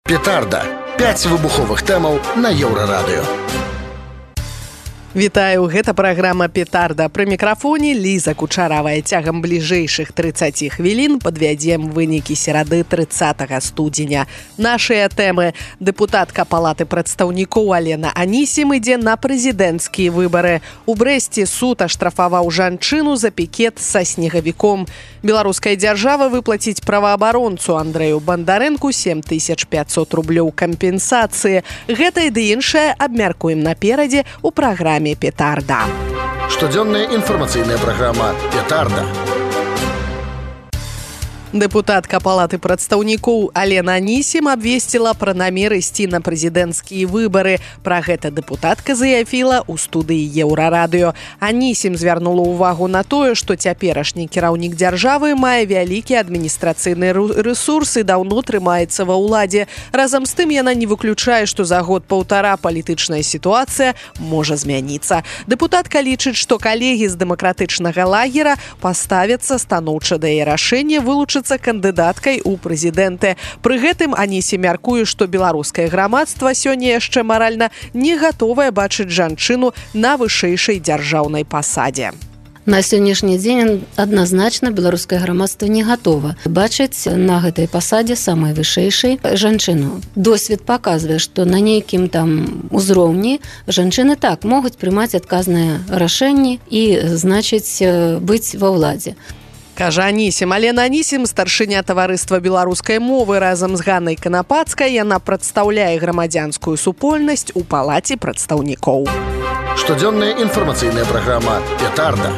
Петарда. 5 выбуховых тэмаў на Еўрарадыё. Вітаю, гэта праграма «Петарда». Пры мікрафоне Ліза Кучаравая. Цягам бліжэйшых 30 хвілін падвядзем вынікі серады 30 студзеня. Нашыя тэмы. Дэпутатка Палаты прадстаўнікоў Алена Анісім ідзе на прэзідэнцкія выбары. У Брэсце суд аштрафаваў жанчыну за пікет са снегавіком. Беларуская дзяржава выплаціць праваабаронцу Андрэю Бандарэнку 7500 рублёў кампенсацыі. Гэта і ды іншае абмяркуем наперадзе ў праграме «Петарда». Штодзённая інфармацыйная праграма «Петарда». Дэпутатка Палаты прадстаўнікоў Алена Анісім абвесціла пра намер ісці на прэзідэнцкія выбары. Пра гэта дэпутатка заявіла ў студыі Еўрарадыё. Анісім звярнула ўвагу на тое, што цяперашні кіраўнік дзяржавы мае вялікі адміністрацыйны рэсурс і даўно трымаецца ва ўладзе. Разам з тым яна не выключае, што за год-паўтара палітычная сітуацыя можа змяніцца. Дэпутатка лічыць, што калегі з дэмакратычнага лагера паставяцца станоўча да яе рашэння вылучыцца кандыдаткай у прэзідэнты. Пры гэтым Анісім мяркуе, што беларускае грамадства сёння яшчэ маральна не гатовае бачыць жанчыну на вышэйшай дзяржаўнай пасадзе. На сённяшні дзень адназначна беларускае грамадства не гатова бачыць на гэтай пасадзе самай вышэйшай жанчыну. Досвед паказвае, што на нейкім там узроўні жанчыны так могуць прымаць адказныя рашэнні і, значыць, быць ва ўладзе. Кажа Анісім. Алена Анісім, старшыня таварыства беларускай мовы, разам з Ганнай Канапацкай яна прадстаўляе грамадзянскую супольнасць у Палаце прадстаўнікоў. Штодзённая інфармацыйная праграма «Петарда».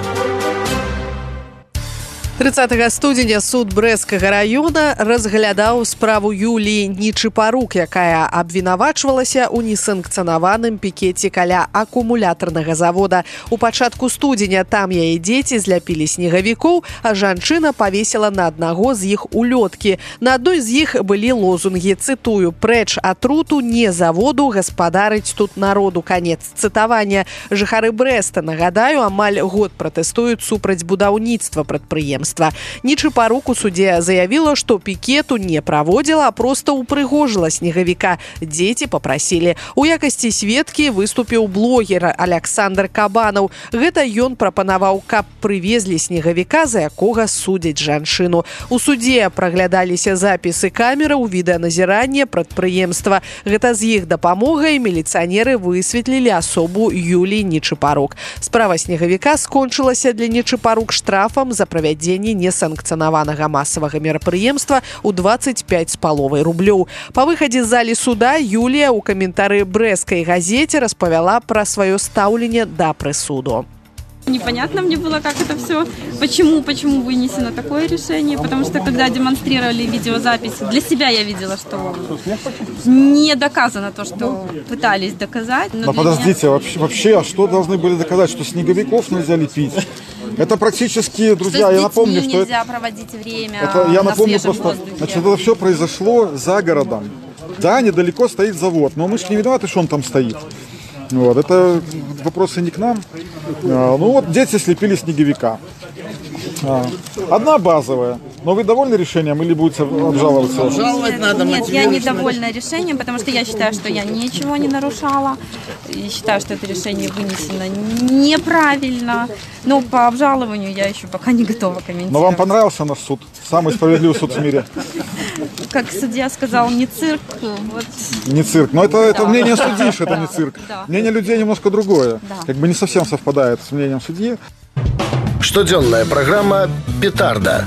30 студзеня суд Брэсцкага раёна разглядаў справу Юліі Нечыпарук, якая абвінавачвалася ў несанкцыянаваным пікеце каля акумулятарнага завода. У пачатку студзеня там яе дзеці зляпілі снегавікоў, а жанчына павесіла на аднаго з іх улёткі. На адной з іх былі лозунгі, цытую: «Прэч атруту, не заводу, гаспадарыць тут народу». Канец цытавання. Жыхары Брэста, нагадаю, амаль год пратэстуюць супраць будаўніцтва прадпрыемства. Нечыпарук у суде заявіла, што пікету не праводзіла, а проста упрыгожыла снегавіка. Дзеці папрасілі. У якасці сведкі выступіў блогер Аляксандр Кабанаў. Гэта ён прапанаваў, каб прывезлі снегавіка, за якога судзяць жанчыну. У судзе праглядаліся запісы камераў відэаназірання прадпрыемства. Гэта з іх дапамогай міліцыянеры высветлілі асобу Юліі Нечыпарук. Справа снегавіка скончылася для Нечыпарук штрафам за правядзенне несанкцыянаванага масавага мерапрыемства ў 25,5 рублёў. Па выхадзе з залі суда Юлія ў каментары брэсцкай газеце распавяла пра сваё стаўленне да прысуду. Непонятно мне было, как это все, почему вынесено такое решение, потому что когда демонстрировали видеозапись, для себя я видела, что не доказано то, что пытались доказать. Но подождите, вообще, а что должны были доказать, что снеговиков нельзя лепить? Это практически, друзья, я напомню, что нельзя проводить время я на напомню свежем просто, воздухе. значит, это все произошло за городом. Да, недалеко стоит завод, но мы же не виноваты, что он там стоит. Вот, это вопросы не к нам. Ну вот дети слепили снеговика. Одна базовая. Но вы довольны решением или будете обжаловаться? Обжаловать надо. Нет, я недовольна решением, потому что я считаю, что я ничего не нарушала. И считаю, что это решение вынесено неправильно. Но по обжалованию я еще пока не готова комментировать. Но вам понравился наш суд? Самый справедливый суд в мире? Как судья сказал, не цирк. Вот. Не цирк. Но это мнение судьи, что это не цирк. Да. Мнение людей немножко другое. Да. Как бы не совсем совпадает с мнением судьи. Штодзённая праграма «Петарда».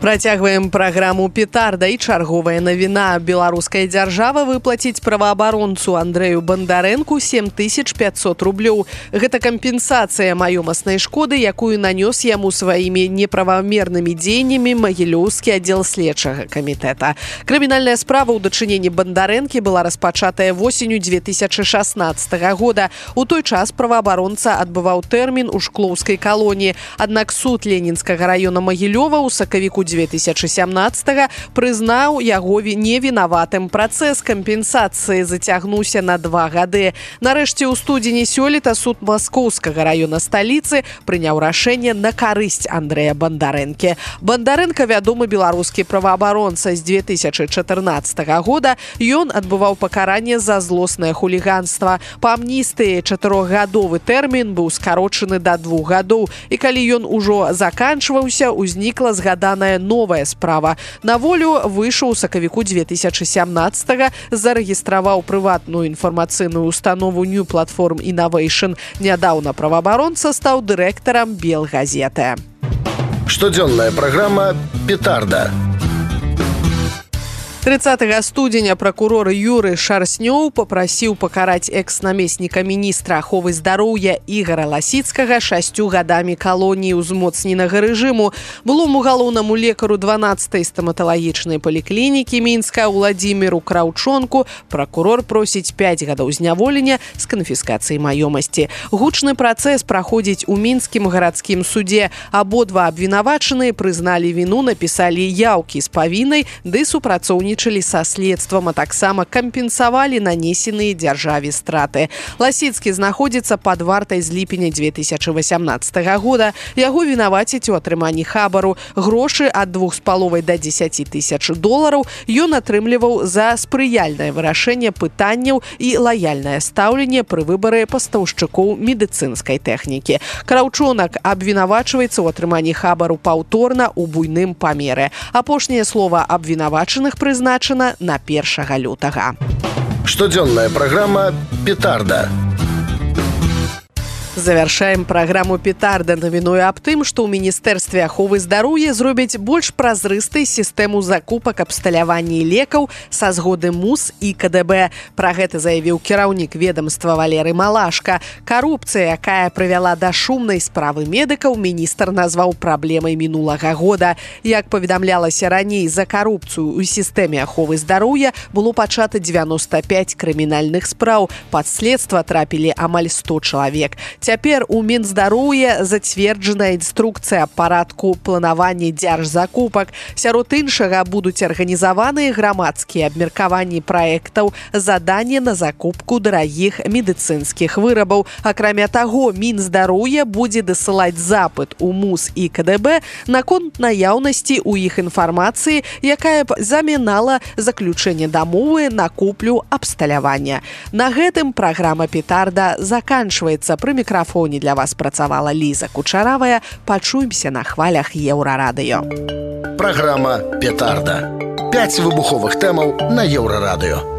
Працягваем праграму «Петарда» і чарговая навіна. Беларуская дзяржава выплаціць праваабаронцу Андрэю Бандарэнку 7500 рублёў. Гэта кампенсацыя маёмаснай шкоды, якую нанёс яму сваімі неправамернымі дзеяннямі Магілёўскі аддзел следчага камітэта. Крымінальная справа ў дачыненні Бандарэнкі была распачатая восенню 2016 года. У той час праваабаронца адбываў тэрмін у шклоўскай калоніі. Аднак суд Ленінскага раёна Магілёва ў сакавіку 2017 прызнаў яго невінаватым. Працэс кампенсацыі зацягнуўся на 2 гады. Нарэшце, у студзені сёлета суд Маскоўскага раёна сталіцы прыняў рашэнне на карысць Андрэя Бандарэнкі. Бандарэнка вядомы беларускі праваабаронца. З 2014 года ён адбываў пакаранне за злоснае хуліганства. Па амністыі 4-гадовы тэрмін быў скарочаны да 2 гадоў. І калі ён ужо заканчваўся, узнікла згаданая новая справа. На волю выйшаў у сакавіку 2017, зарэгістраваў прыватную інфармацыйную установу New Platform Innovation. Нядаўна праваабаронца стаў дырэктарам Белгазеты. Штодзённая праграма «Петарда». 30 студзеня пракурор Юры Шарснёў папрасіў пакараць экс-намесніка міністра аховы здароўя Ігара Ласіцкага 6 гадамі калоніі ўзмоцненага рэжыму. Былому галоўнаму лекару 12-й стаматалагічнай паліклінікі Мінска Уладзіміру Краўчонку пракурор просіць 5 гадоў зняволення з канфіскацыяй маёмасці. Гучны працэс праходзіць у мінскім гарадскім судзе. Абодва абвінавачаныя прызналі віну, напісалі яўкі з павінай ды супрацоўнічалі са следствам, а таксама кампенсавалі нанесеныя дзяржаве страты. Ласіцкі знаходзіцца пад вартай з ліпеня 2018 года. Яго вінавацяць у атрыманні хабару. Грошы ад 2,5 да 10 тысяч долараў ён атрымліваў за спрыяльнае вырашэнне пытанняў і лаяльнае стаўленне пры выбары пастаўшчыкоў медыцынскай тэхнікі. Краўчонак абвінавачваецца ў атрыманні хабару паўторна ў буйным памеры. Апошняе слова абвінавачаных прызначана на 1 лютага. Штодзённая праграма «Петарда». Завяршаем праграму «Петарда» навіной аб тым, што ў Міністэрстве аховы здароўя зробяць больш празрыстай сістэму закупак абсталявання лекаў са згоды МУС і КДБ. Пра гэта заявіў кіраўнік ведамства Валерый Малашка. Карупцыя, якая прывяла да шумнай справы медыкаў, міністр назваў праблемай мінулага года. Як паведамлялася раней, за карупцыю ў сістэме аховы здароўя было пачата 95 крымінальных спраў. Пад следства трапілі амаль 100 чалавек. Цяпер у Мінздароўя зацверджана інструкцыя парадку планавання дзяржзакупак. Сярод іншага будуць арганізаваныя грамадскія абмеркаванні праектаў, заданне на закупку дарагіх медыцынскіх вырабаў. Акрамя таго, Мінздароўя будзе дасылаць запыт у МУС і КДБ наконт наяўнасці ў іх інфармацыі, якая б замінала заключэнне дамовы на куплю абсталявання. На гэтым праграма «Петарда» заканчваецца. Пры мікрафоне для вас працавала Ліза Кучаравая. Пачуемся на хвалях Еўрарадыё. Праграма «Петарда». 5 выбуховых тэмаў на Еўрарадыё.